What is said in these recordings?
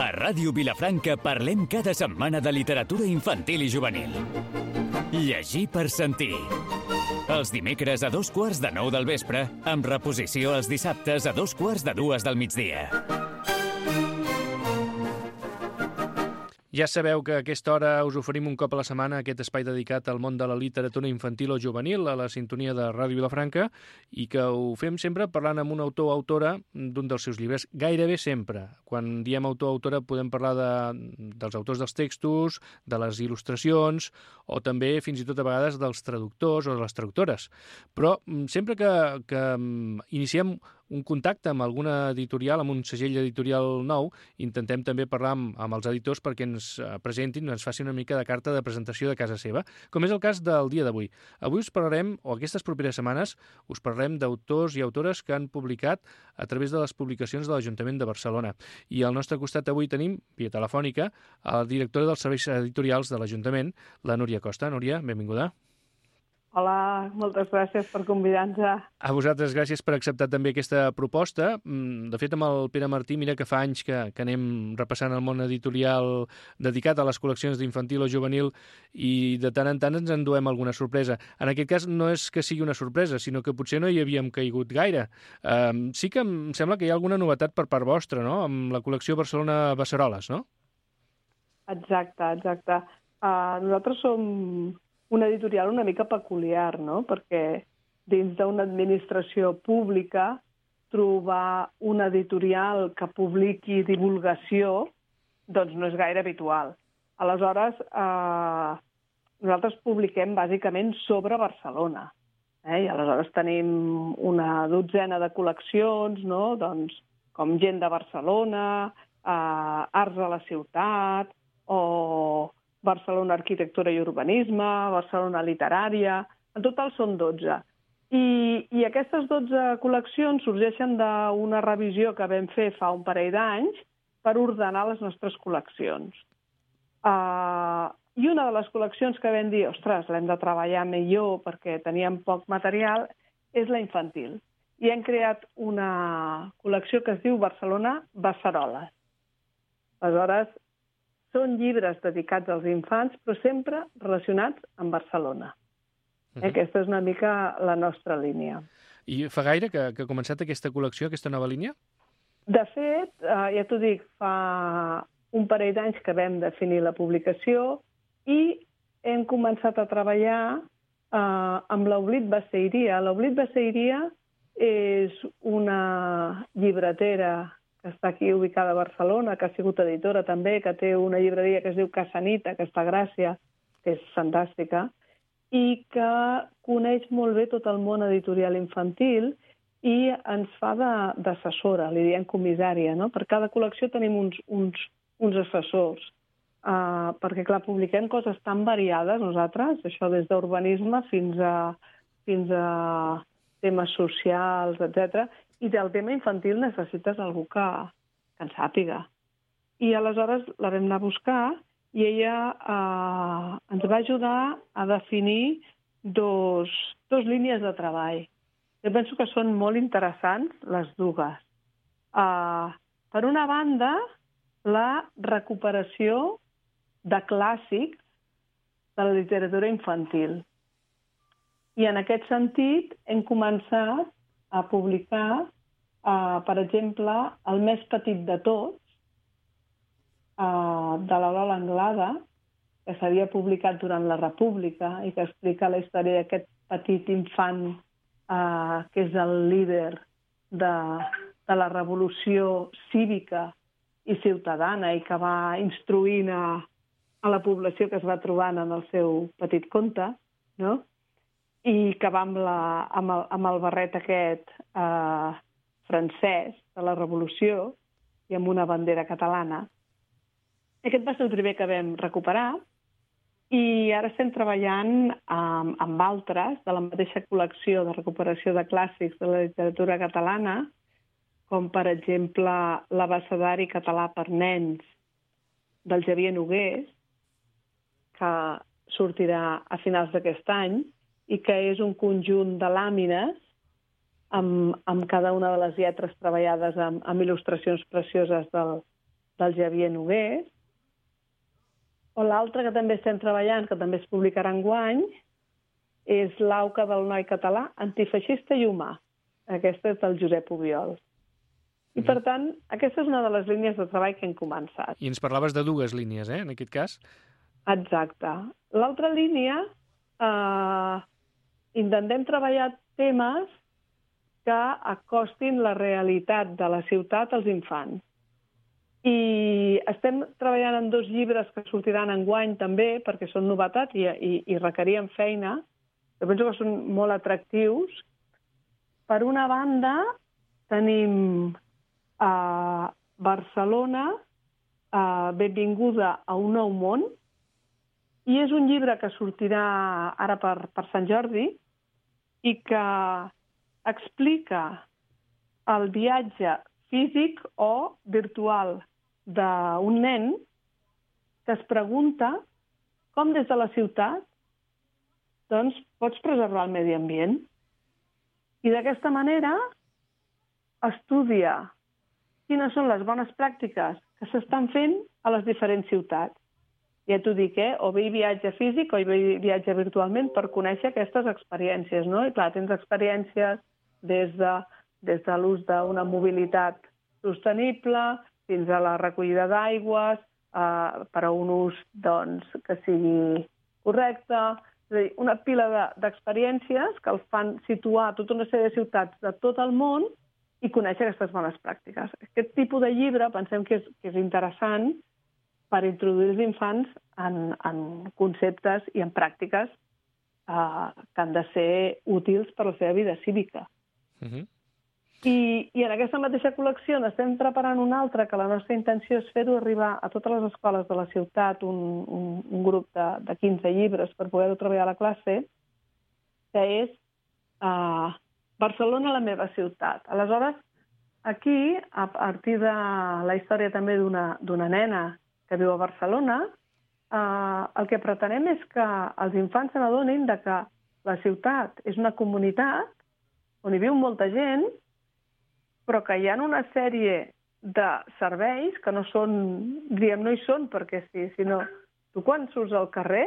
A Ràdio Vilafranca parlem cada setmana de literatura infantil i juvenil. Llegir per sentir. Els dimecres a 8:45 del vespre, amb reposició els dissabtes a 2:45 del migdia. Ja sabeu que a aquesta hora us oferim un cop a la setmana aquest espai dedicat al món de la literatura infantil o juvenil a la sintonia de Ràdio Vilafranca i que ho fem sempre parlant amb un autor o autora d'un dels seus llibres, gairebé sempre. Quan diem autor o autora podem parlar dels autors dels textos, de les il·lustracions o també fins i tot a vegades dels traductors o de les traductores. Però sempre que iniciem un contacte amb alguna editorial, amb un segell editorial nou, intentem també parlar amb els editors perquè ens presentin, ens facin una mica de carta de presentació de casa seva, com és el cas del dia d'avui. Avui us parlarem, o aquestes properes setmanes, us parlarem d'autors i autores que han publicat a través de les publicacions de l'Ajuntament de Barcelona. I al nostre costat avui tenim, via telefònica, la directora dels serveis editorials de l'Ajuntament, la Núria Costa. Núria, benvinguda. Hola, moltes gràcies per convidar-nos. A vosaltres, gràcies per acceptar també aquesta proposta. De fet, amb el Pere Martí, mira que fa anys que anem repassant el món editorial dedicat a les col·leccions d'infantil o juvenil i de tant en tant ens enduem alguna sorpresa. En aquest cas no és que sigui una sorpresa, sinó que potser no hi havíem caigut gaire. Sí que em sembla que hi ha alguna novetat per part vostra, no?, amb la col·lecció Barcelona Beceroles, no? Exacte. Nosaltres som una editorial una mica peculiar, no? Perquè dins d'una administració pública trobar una editorial que publiqui divulgació doncs no és gaire habitual. Aleshores, nosaltres publiquem bàsicament sobre Barcelona. I aleshores tenim una dotzena de col·leccions, no? Doncs, com Gent de Barcelona, Arts a la ciutat, o Barcelona Arquitectura i Urbanisme, Barcelona Literària... En total són 12. I aquestes 12 col·leccions sorgeixen d'una revisió que vam fer fa un parell d'anys per ordenar les nostres col·leccions. I una de les col·leccions que vam dir, ostres, l'hem de treballar millor perquè teníem poc material, és la infantil. I hem creat una col·lecció que es diu Barcelona Beceroles. Aleshores, són llibres dedicats als infants, però sempre relacionats amb Barcelona. Aquesta és una mica la nostra línia. I fa gaire que ha començat aquesta col·lecció, aquesta nova línia? De fet, ja t'ho dic, fa un parell d'anys que vam definir la publicació i hem començat a treballar amb l'Oblit Beceiria. L'Oblit Beceiria és una llibretera que està aquí ubicada a Barcelona, que ha sigut editora també, que té una llibreria que es diu Casanita, que està a Gràcia, que és fantàstica, i que coneix molt bé tot el món editorial infantil i ens fa d'assessora, li diem comissària, no? Per cada col·lecció tenim uns assessors, perquè, clar, publiquem coses tan variades nosaltres, això des d'urbanisme fins a temes socials, etc. I del tema infantil necessites algú que en sàpiga. I aleshores la vam anar a buscar i ella ens va ajudar a definir dos línies de treball. Jo penso que són molt interessants les dues. Per una banda, la recuperació de clàssics de la literatura infantil. I en aquest sentit hem començat a publicar, per exemple, El més petit de tots, de la Lola Anglada, que s'havia publicat durant la República i que explica la història d'aquest petit infant que és el líder de la revolució cívica i ciutadana i que va instruint a la població que es va trobant en el seu petit conte, no? I que va amb el barret aquest francès de la Revolució i amb una bandera catalana. Aquest va ser el primer que vam recuperar i ara estem treballant amb altres de la mateixa col·lecció de recuperació de clàssics de la literatura catalana, com per exemple l'abecedari català per nens del Xavier Nogués, que sortirà a finals d'aquest any, i que és un conjunt de làmines amb cada una de les lletres treballades amb il·lustracions precioses del Xavier Nogués. O l'altre que també estem treballant, que també es publicarà enguany, és l'Auca del noi català, antifeixista i humà. Aquesta és del Josep Obiols. I, per tant, aquesta és una de les línies de treball que hem començat. I ens parlaves de 2 línies, en aquest cas? Exacte. L'altra línia, intentem treballar temes que acostin la realitat de la ciutat als infants. I estem treballant en 2 llibres que sortiran enguany també, perquè són novetat i requerien feina. Jo penso que són molt atractius. Per una banda, tenim Barcelona, benvinguda a un nou món, i és un llibre que sortirà ara per Sant Jordi i que explica el viatge físic o virtual d'un nen que es pregunta com des de la ciutat doncs, pots preservar el medi ambient. I d'aquesta manera estudia quines són les bones pràctiques que s'estan fent a les diferents ciutats. Ja t'ho dic, o bé hi viatge físic o hi viatge virtualment per conèixer aquestes experiències, no? I clar, tens experiències des de l'ús d'una mobilitat sostenible fins a la recollida d'aigües, per a un ús doncs, que sigui correcte. És a dir, una pila d'experiències que els fan situar tota una sèrie de ciutats de tot el món i conèixer aquestes bones pràctiques. Aquest tipus de llibre pensem que és interessant per introduir els infants en conceptes i en pràctiques que han de ser útils per a la seva vida cívica. I en aquesta mateixa col·lecció n'estem preparant una altra, que la nostra intenció és fer-ho arribar a totes les escoles de la ciutat, un grup de 15 llibres per poder-ho treballar a la classe, que és Barcelona, la meva ciutat. Aleshores, aquí, a partir de la història també d'una nena que viu a Barcelona, el que pretenem és que els infants se n'adonin que la ciutat és una comunitat on hi viu molta gent, però que hi ha una sèrie de serveis que no són, no hi són perquè sí, sinó tu quan surts al carrer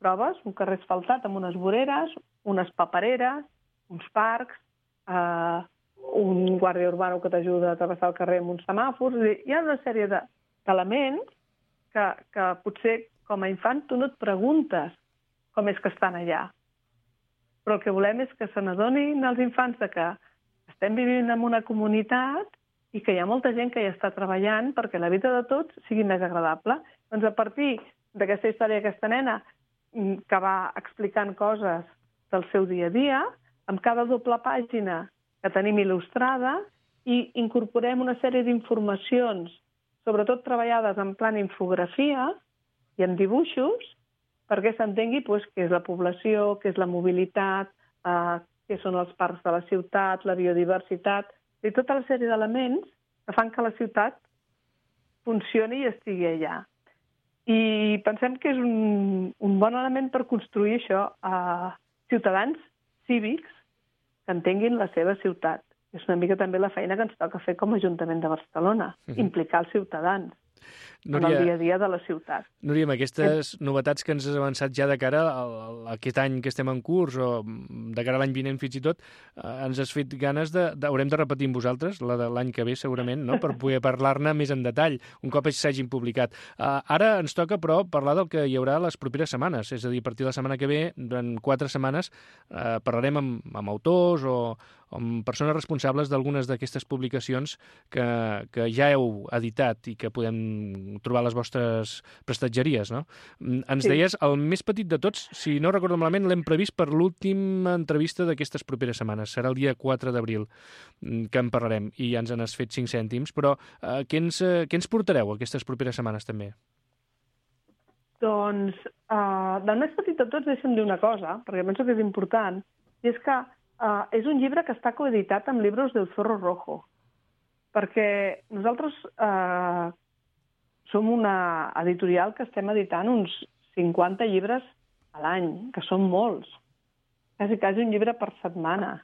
trobes un carrer asfaltat amb unes voreres, unes papereres, uns parcs, un guàrdia urbano que t'ajuda a travessar el carrer amb uns semàfors. Hi ha una sèrie d'elements que potser com a infant tu no et preguntes com és que estan allà. Però el que volem és que se n'adonin els infants que estem vivint en una comunitat i que hi ha molta gent que hi està treballant perquè la vida de tots sigui més agradable. Doncs a partir d'aquesta història d'aquesta nena que va explicant coses del seu dia a dia, amb cada doble pàgina que tenim il·lustrada i incorporem una sèrie d'informacions, sobretot treballades en plan infografia i en dibuixos, perquè s'entengui què és la població, què és la mobilitat, què són els parcs de la ciutat, la biodiversitat, i tota la sèrie d'elements que fan que la ciutat funcioni i estigui allà. I pensem que és un bon element per construir això a ciutadans cívics que entenguin la seva ciutat. És una mica també la feina que ens toca fer com a Ajuntament de Barcelona, implicar els ciutats en el dia a dia de la ciutat. Núria, amb aquestes novetats que ens has avançat ja de cara a aquest any que estem en curs o de cara a l'any vinent fins i tot, ens has fet ganes haurem de repetir amb vosaltres, la de l'any que ve segurament, no? Per poder parlar-ne més en detall, un cop s'hagin publicat. Ara ens toca, però, parlar del que hi haurà les properes setmanes, és a dir, a partir de la setmana que ve, durant 4 setmanes, parlarem amb autors o amb persones responsables d'algunes d'aquestes publicacions que ja heu editat i que podem trobar a les vostres prestatgeries, no? Ens deies, el més petit de tots, si no recordo malament, l'hem previst per l'última entrevista d'aquestes properes setmanes. Serà el dia 4 d'abril que en parlarem i ja ens n'has fet 5 cèntims, però què ens portareu aquestes properes setmanes també? Doncs, del més petit de tots deixa'm dir una cosa, perquè penso que és important, i és que és un llibre que està coeditat amb Libros del Zorro Rojo, perquè nosaltres som una editorial que estem editant uns 50 llibres a l'any, que són molts, quasi un llibre per setmana.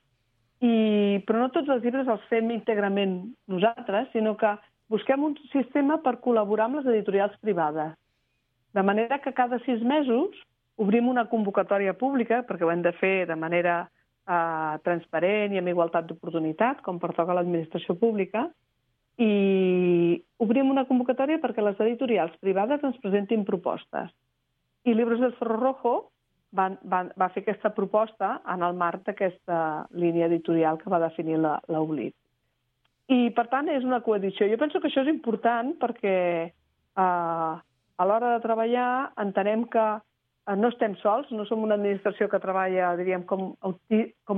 però no tots els llibres els fem íntegrament nosaltres, sinó que busquem un sistema per col·laborar amb les editorials privades. De manera que cada 6 mesos obrim una convocatòria pública, perquè ho hem de fer de manera transparent i amb igualtat d'oportunitat, com pertoca a l'administració pública, i obrim una convocatòria perquè les editorials privades ens presentin propostes. I Libros del Zorro Rojo va fer aquesta proposta en el marc d'aquesta línia editorial que va definir l'Oblit. I, per tant, és una coedició. Jo penso que això és important perquè a l'hora de treballar entenem que no estem sols, no som una administració que treballa, diríem, com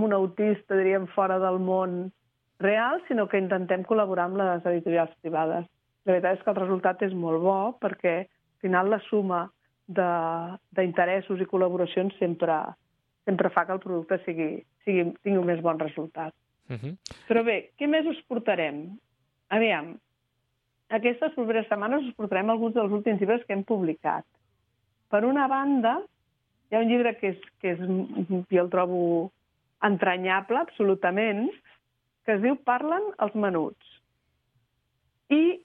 un autista, diríem, fora del món real, sinó que intentem col·laborar amb les editorials privades. La veritat és que el resultat és molt bo perquè, al final, la suma d'interessos i col·laboracions sempre fa que el producte tingui un més bon resultat. Però bé, què més us portarem? Aviam, aquestes properes setmanes us portarem alguns dels últims llibres que hem publicat. Per una banda, hi ha un llibre que jo el trobo entranyable, absolutament, que es diu Parlen els menuts. I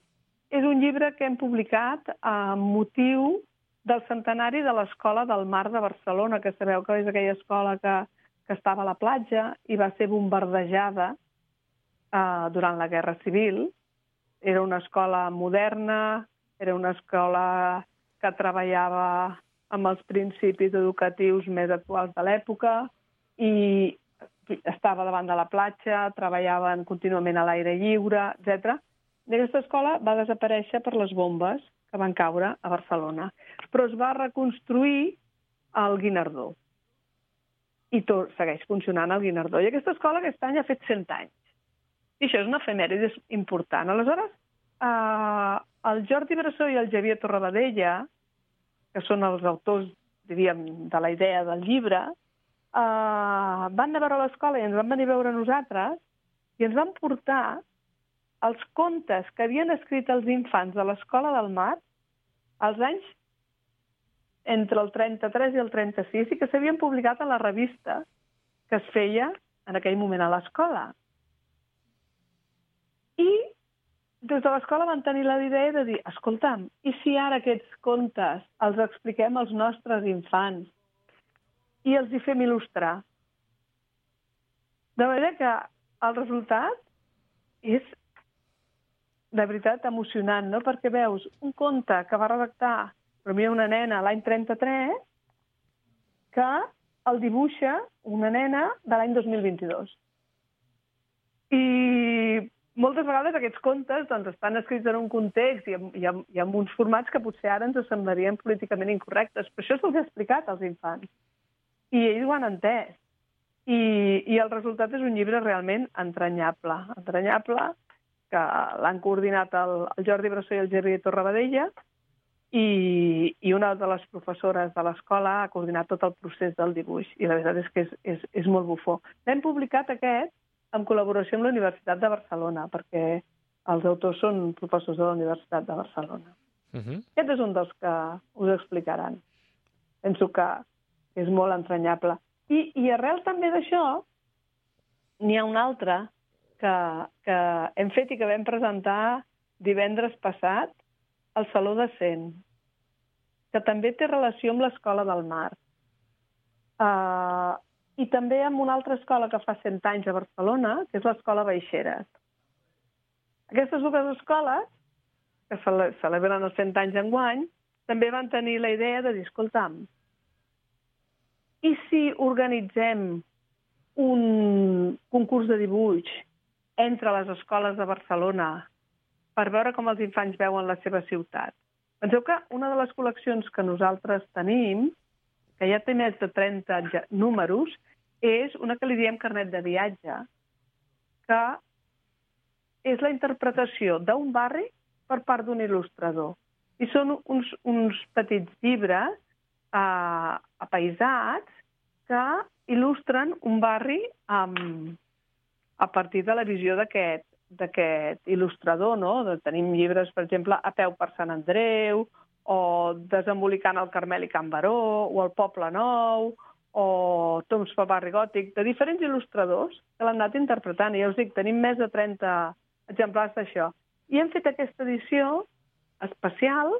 és un llibre que hem publicat amb motiu del centenari de l'Escola del Mar de Barcelona, que sabeu que és aquella escola que estava a la platja i va ser bombardejada durant la Guerra Civil. Era una escola moderna, era una escola que treballava amb els principis educatius més actuals de l'època i estava davant de la platja, treballaven contínuament a l'aire lliure, etc. I aquesta escola va desaparèixer per les bombes que van caure a Barcelona. Però es va reconstruir al Guinardó. I segueix funcionant al Guinardó. I aquesta escola aquest any ha fet 100 anys. I això és una efemèride important. Aleshores, el Jordi Bressó i el Xavier Torrabadella, que són els autors, diríem, de la idea del llibre, van anar a veure l'escola i ens van venir a veure nosaltres i ens van portar els contes que havien escrit els infants de l'Escola del Mar als anys entre el 33 i el 36 i que s'havien publicat a la revista que es feia en aquell moment a l'escola. I des de l'escola van tenir la idea de dir, escolta'm, i si ara aquests contes els expliquem als nostres infants i els hi fem il·lustrar? De manera que el resultat és, de veritat, emocionant, no? Perquè veus un conte que va redactar per mi una nena l'any 33 que el dibuixa una nena de l'any 2022. I moltes vegades aquests contes doncs, estan escrits en un context i en uns formats que potser ara ens semblarien políticament incorrectes, però això se'ls ha explicat als infants. I ells ho han entès. I el resultat és un llibre realment entranyable, que l'han coordinat el Jordi Bressó i el Xavier Torrabadella, i una de les professores de l'escola ha coordinat tot el procés del dibuix, i la veritat és que és molt bufó. L'hem publicat aquest en col·laboració amb la Universitat de Barcelona, perquè els autors són professors de la Universitat de Barcelona. Aquest és un dels que us explicaran. Penso que és molt entranyable. I arrel també d'això, n'hi ha un altre que hem fet i que vam presentar divendres passat al Saló de Cent, que també té relació amb l'Escola del Mar. I també amb una altra escola que fa 100 anys a Barcelona, que és l'Escola Baixeres. Aquestes dues escoles, que celebren els 100 anys enguany, també van tenir la idea de dir, escolta'm, i si organitzem un concurs de dibuix entre les escoles de Barcelona per veure com els infants veuen la seva ciutat? Penseu que una de les col·leccions que nosaltres tenim, que ja té més de 30 números, és una que li diem carnet de viatge, que és la interpretació d'un barri per part d'un il·lustrador. I són uns petits llibres apaïsats que il·lustren un barri a partir de la visió d'aquest il·lustrador, no? Tenim llibres, per exemple, A peu per Sant Andreu, o Desembolicant el Carmel i Can Baró, o El Poble Nou, o Toms Paparri Gòtic, de diferents il·lustradors que l'han anat interpretant. I ja us dic, tenim més de 30 exemplars d'això. I hem fet aquesta edició especial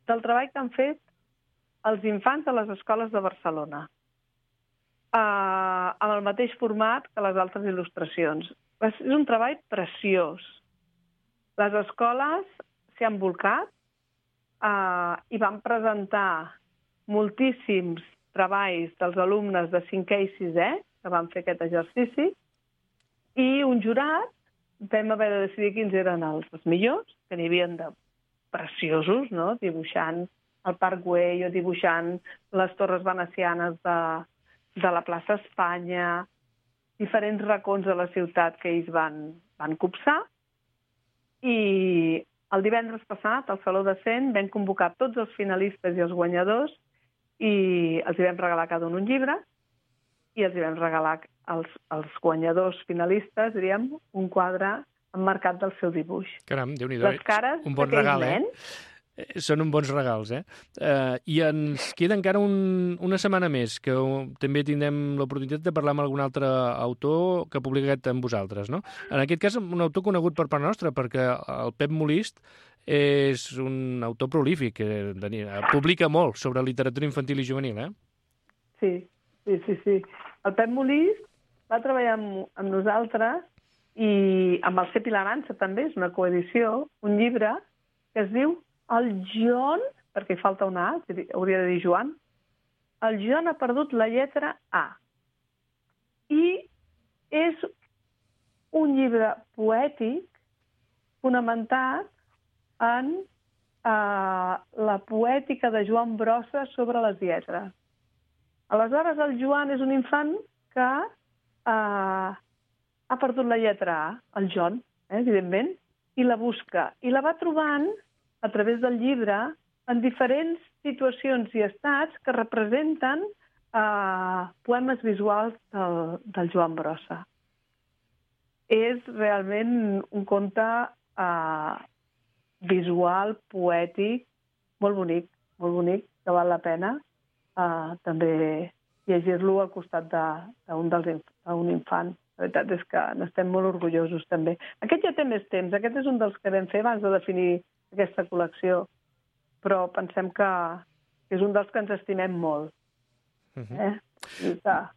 del treball que han fet els infants de les escoles de Barcelona, amb el mateix format que les altres il·lustracions. És un treball preciós. Les escoles s'hi han volcat i van presentar moltíssims treballs dels alumnes de 5è i 6è que van fer aquest exercici, i un jurat vam haver de decidir quins eren els millors, que n'hi havia de preciosos, no? Dibuixant el Parc Güell o dibuixant les torres venecianes de la plaça Espanya, diferents racons de la ciutat que ells van copsar. I el divendres passat, al Saló de Cent, vam convocar tots els finalistes i els guanyadors i els hi vam regalar cada un llibre i els hi vam regalar als guanyadors finalistes, diríem, un quadre emmarcat del seu dibuix. Caram, Déu-n'hi-do. Les cares un bon regal, nens... Són uns bons regals, I ens queda encara una setmana més, que també tindrem l'oportunitat de parlar amb algun altre autor que ha publicat amb vosaltres, no? En aquest cas, un autor conegut per part nostra, perquè el Pep Molist és un autor prolífic, publica molt sobre literatura infantil i juvenil, Sí. El Pep Molist va treballar amb nosaltres i amb el C. Pilarança també, és una coedició, un llibre que es diu El Joan, perquè hi falta una A, hauria de dir Joan, el Joan ha perdut la lletra A. I és un llibre poètic fonamentat en la poètica de Joan Brossa sobre les lletres. Aleshores, el Joan és un infant que ha perdut la lletra A, el Joan, evidentment, i la busca. I la va trobant a través del llibre, en diferents situacions i estats que representen poemes visuals del Joan Brossa. És realment un conte visual, poètic, molt bonic, que val la pena també llegir-lo al costat d'un infant. La veritat és que n'estem molt orgullosos també. Aquest ja té més temps, aquest és un dels que vam fer abans de definir aquesta col·lecció, però pensem que és un dels que ens estimem molt.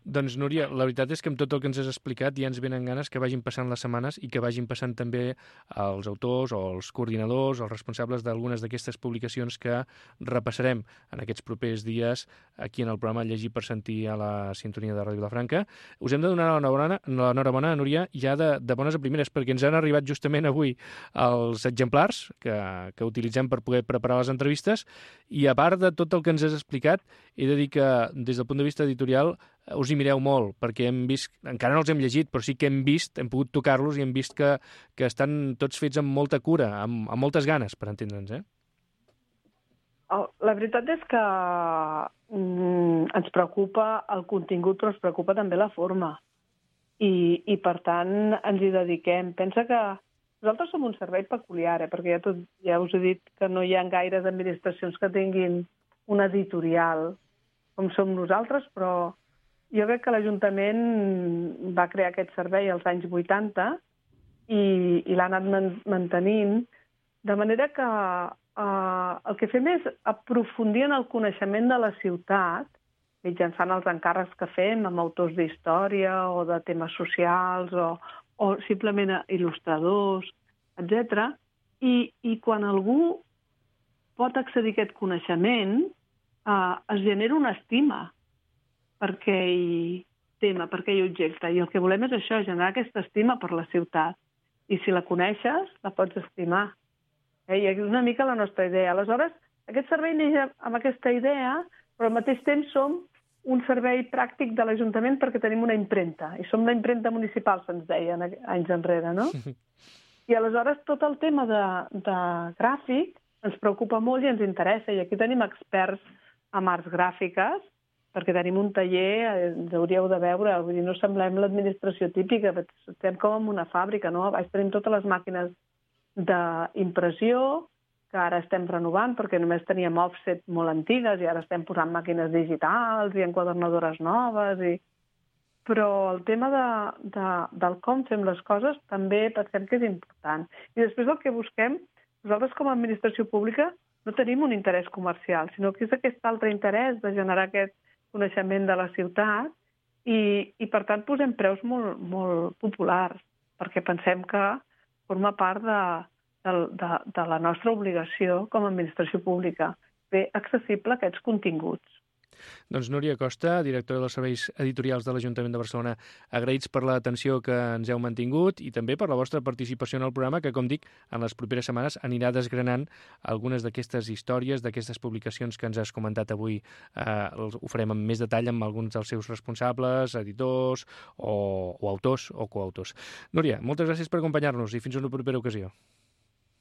Doncs, Núria, la veritat és que amb tot el que ens has explicat ja ens venen ganes que vagin passant les setmanes i que vagin passant també els autors o els coordinadors o els responsables d'algunes d'aquestes publicacions que repassarem en aquests propers dies aquí en el programa Llegir per Sentir a la sintonia de Ràdio Vilafranca. Us hem de donar l'enhorabona, Núria, ja de bones a primeres, perquè ens han arribat justament avui els exemplars que utilitzem per poder preparar les entrevistes, i a part de tot el que ens has explicat, he de dir que des del punt de vista editorial us hi mireu molt, perquè hem vist, encara no els hem llegit, però sí que hem pogut tocar-los i hem vist que estan tots fets amb molta cura, amb moltes ganes, per entendre'ns, La veritat és que ens preocupa el contingut, però ens preocupa també la forma. I per tant, ens hi dediquem. Pensa que nosaltres som un servei peculiar, perquè ja us he dit que no hi ha gaires administracions que tinguin un editorial com som nosaltres, però jo crec que l'Ajuntament va crear aquest servei als anys 80 i l'ha anat mantenint, de manera que el que fem és aprofundir en el coneixement de la ciutat mitjançant els encàrrecs que fem amb autors d'història o de temes socials o simplement il·lustradors, etc. I quan algú pot accedir a aquest coneixement, es genera una estima per aquell tema, per aquell objecte. I el que volem és això, generar aquesta estima per la ciutat. I si la coneixes, la pots estimar. I és una mica la nostra idea. Aleshores, aquest servei neix amb aquesta idea, però al mateix temps som un servei pràctic de l'Ajuntament perquè tenim una impremta. I som la impremta municipal, se'ns deia anys enrere, no? I aleshores tot el tema de gràfic ens preocupa molt i ens interessa. I aquí tenim experts en arts gràfiques, perquè tenim un taller, ens hauríeu de veure, vull dir, no semblem l'administració típica, estem com en una fàbrica, no? A baix tenim totes les màquines d'impressió, que ara estem renovant perquè només teníem offset molt antigues i ara estem posant màquines digitals i enquadernadores noves. Però el tema del com fem les coses també pensem que és important. I després el que busquem, nosaltres com a administració pública no tenim un interès comercial, sinó que és aquest altre interès de generar aquest coneixement de la ciutat i per tant posem preus molt, molt populars, perquè pensem que forma part de la nostra obligació com a administració pública, fer accessible aquests continguts. Doncs Núria Costa, directora dels serveis editorials de l'Ajuntament de Barcelona, agraïts per l'atenció que ens heu mantingut i també per la vostra participació en el programa que, com dic, en les properes setmanes anirà desgranant algunes d'aquestes històries, d'aquestes publicacions que ens has comentat avui. Ho farem amb més detall amb alguns dels seus responsables, editors o autors o coautors. Núria, moltes gràcies per acompanyar-nos i fins a una propera ocasió.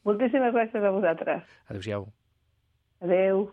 Moltíssimes gràcies a vosaltres. Adéu-siau. Adéu.